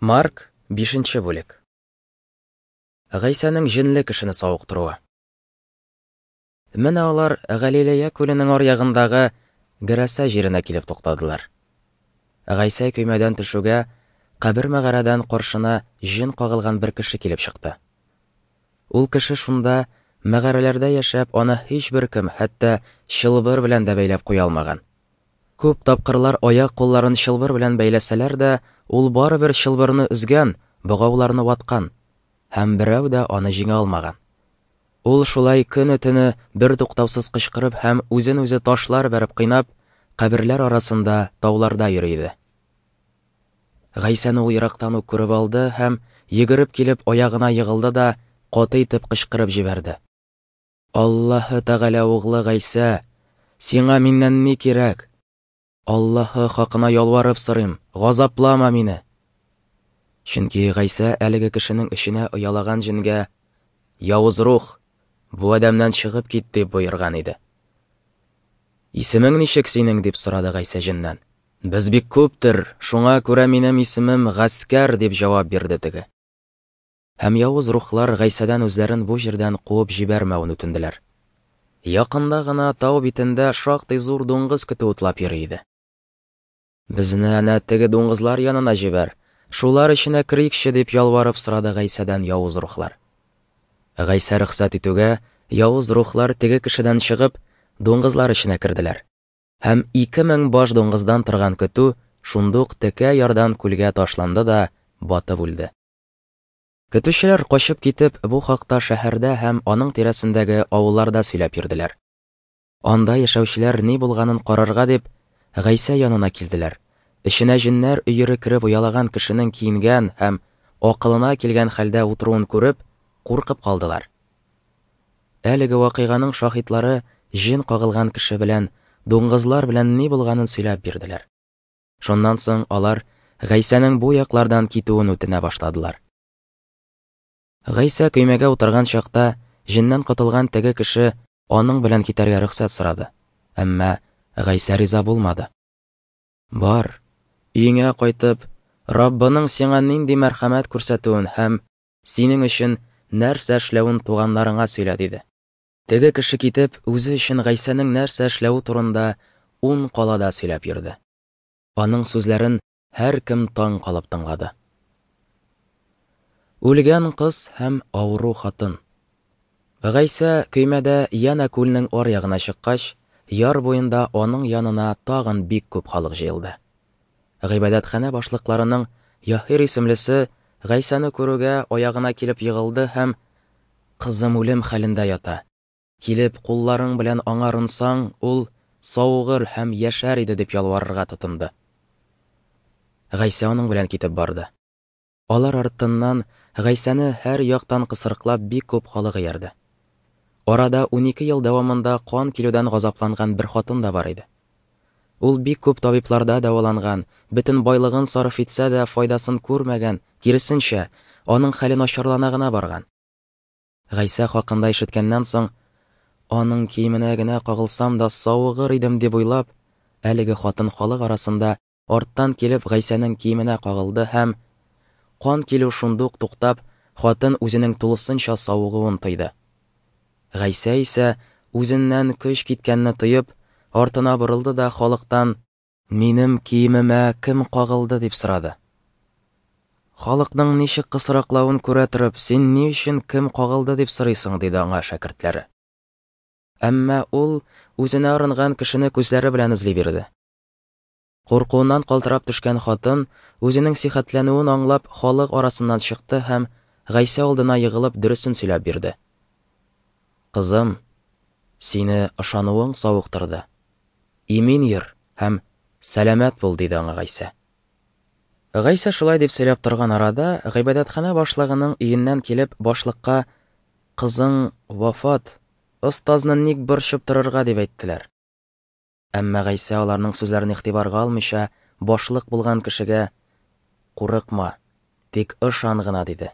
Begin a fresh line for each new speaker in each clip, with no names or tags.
Марк, 5 бүлек. Гайсәнең җенле кешене савыктыруы. Менә алар Галилея күленең аръягындагы Герәсә җиренә килеп туктадылар. Гайсә көймәдән төшүгә, кабер мәгарәдән каршына җен кагылган бер кеше килеп чыкты. Ул кеше шунда мәгарәләрдә яшәп, аны һичбер кем, хәтта чылбыр белән дә бәйләп куя алмаган. Күп тапкырлар аяк-кулларын чылбыр белән бәйләсәләр дә, ул барыбер чылбырны өзгән, богауларны ваткан, һәм берәү дә аны җиңә алмаган. Ул шулай көне-төне бертуктаусыз кычкырып һәм үзен-үзе ташлар бәреп кыйнап, каберләр арасында, тауларда йөри иде. Гайсәне ул ерактан ук күреп алды һәм, йөгереп килеп, аягына егылды да каты итеп кычкырып җибәрде. Аллаһы Тәгалә углы Гайсә, сиңа миннән ни кирәк? Аллаһы хакына ялварып сорыйм, газаплама мине. Чөнки Гайсә әлеге кешенең эченә оялаган җенгә, Явыз рух, бу адәмнән чыгып кит, дип боерган иде. Исемең ничек синең? дип сорады Гайсә җеннән. Без бик күптер, шуңа күрә минем исемем Гаскәр, дип җавап бирде теге. Һәм явыз рухлар Гайсәдән үзләрен бу җирдән куып җибәрмәвен үтенделәр. Якында гына тау битендә шактый зур дуңгыз көтүе утлап йөри иде. Безне әнә теге дуңгызлар янына җибәр, шулар эченә керикче, дип ялварып сорады Гайсәдән явыз рухлар. Гайсә рөхсәт итүгә, явыз рухлар теге кешедән чыгып, дуңгызлар эченә керделәр. Һәм 2000 баш дуңгыздан торган көтү шундук текә ярдан күлгә ташланды да батып үлде. Көтүчеләр качып китеп, бу хакта шәһәрдә һәм аның тирәсендәге авылларда сөйләп йөрделәр. Анда яшәүчеләр ни булганын карарга дип, Гайсә янына килделәр. Эченә җеннәр өере кереп оялаган кешенең киенгән һәм акылына килгән хәлдә утыруын күреп, куркып калдылар. Әлеге вакыйганың шаһитлары җен кагылган кеше белән, дуңгызлар белән ни булганын сөйләп бирделәр. Шуннан соң алар Гайсәнең бу яклардан китүен үтенә башладылар. Гайсә көймәгә утырган чакта җеннән котылган теге кеше аның белән китәргә рөхсәт сорады. Әмма Гайсә риза булмады. Бар, өеңә кайтып, Раббының сиңа нинди мәрхәмәт күрсәтүен һәм синең өчен нәрсә эшләвен туганнарыңа сөйлә, диде. Теге кеше китеп, үзе өчен Гайсәнең нәрсә эшләве турында ун калада сөйләп йөрде. Аның сүзләрен һәркем таң калып тыңлады. Үлгән кыз һәм авыру хатын. Гайсә көймәдә янә күлнең аръягына чыккач, яр буенда аның янына тагын бик күп халык җыелды. Гыйбадәтханә башлыкларының Яһир исемлесе Гайсәне күрүгә аягына килеп егылды һәм, Кызым үлем хәлендә ята. Килеп, кулларың белән аңа орынсаң, ул савыгыр һәм яшәр иде, дип ялварырга тотынды. Гайсә аның белән китеп барды. Алар артыннан Гайсәне һәр яктан кысрыклап бик күп халык иярде. Арада 12 ел дәвамында кан килүдән газапланган бер хатын да бар иде. Ул бик күп табибларда дәваланган, бөтен байлыгын сарыф итсә дә файдасын күрмәгән, киресенчә, аның хәле начарлана гына барган. Гайсә хакында ишеткәннән соң, аның киеменә генә кагылсам да савыгыр идем дип уйлап, әлеге хатын халык арасында арттан килеп Гайсәнең киеменә кагылды һәм кан килү шундук туктап, хатын үзенең тулысынча савыгуын тойды. Гайсә исә үзеннән көч киткәнне тоеп, артына борылды да халыктан: Минем киемемә кем кагылды? дип сорады. Халыкның ничек кысрыклавын күрә торып, син ни өчен кем кагылды дип сорыйсың? диде аңа шәкертләре. Әмма ул үзенә орынган кешене күзләре белән эзли бирде. Куркуыннан калтырап төшкән хатын, үзенең сихәтләнүен аңлап, халык арасыннан чыкты һәм Гайсә алдына егылып дөресен сөйләп бирде. Кызым, сине ышануың савыктырды. Имин йөр һәм сәламәт бул, диде аңа Гайсә. Гайсә шулай дип сөйләп торган арада, гыйбадәтханә башлыгының өеннән килеп, башлыкка: Кызың вафат, остазны ник борчып торырга, дип әйттеләр. Әмма Гайсә аларның сүзләрен игътибарга алмыйча, башлык булган кешегә: Курыкма, тик ышан гына, диде.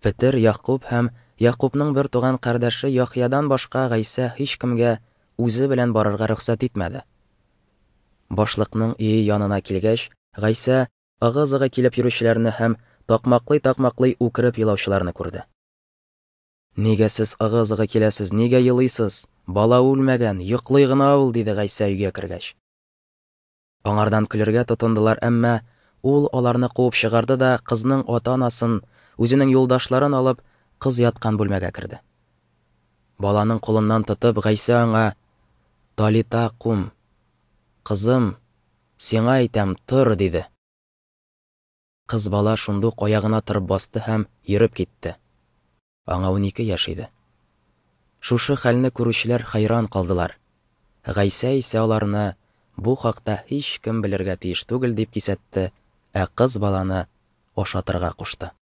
Петер, Ягъкуб һәм Ягъкубның бер туган кардәше Яхъядан башка Гайсә һичкемгә үзе белән барырга рөхсәт итмәде. Башлыкның өе янына килгәч, Гайсә ыгы-зыгы килеп йөрүчеләрне һәм такмаклый-такмаклый үкереп елаучыларны күрде. Нигә сез ыгы-зыгы киләсез, нигә елыйсыз? Бала үлмәгән, йоклый гына ул, диде Гайсә өйгә кергәч. Аңардан көлергә тотындылар, әмма ул аларны куып чыгарды да кызның ата-анасын, үзенең юлдашларын алып, кыз яткан бүлмәгә керде. Баланың кулыннан тотып, Гайсә аңа, Талита кум, кызым, сиңа әйтәм, тор, диде. Кыз бала шундук аягына торып басты һәм йөреп китте. Аңа 12 яшь иде. Шушы хәлне күрүчеләр хәйран калдылар. Гайсә исә аларны бу хакта һичкем белергә тиеш түгел дип кисәтте, ә кыз баланы ашатырга кушты.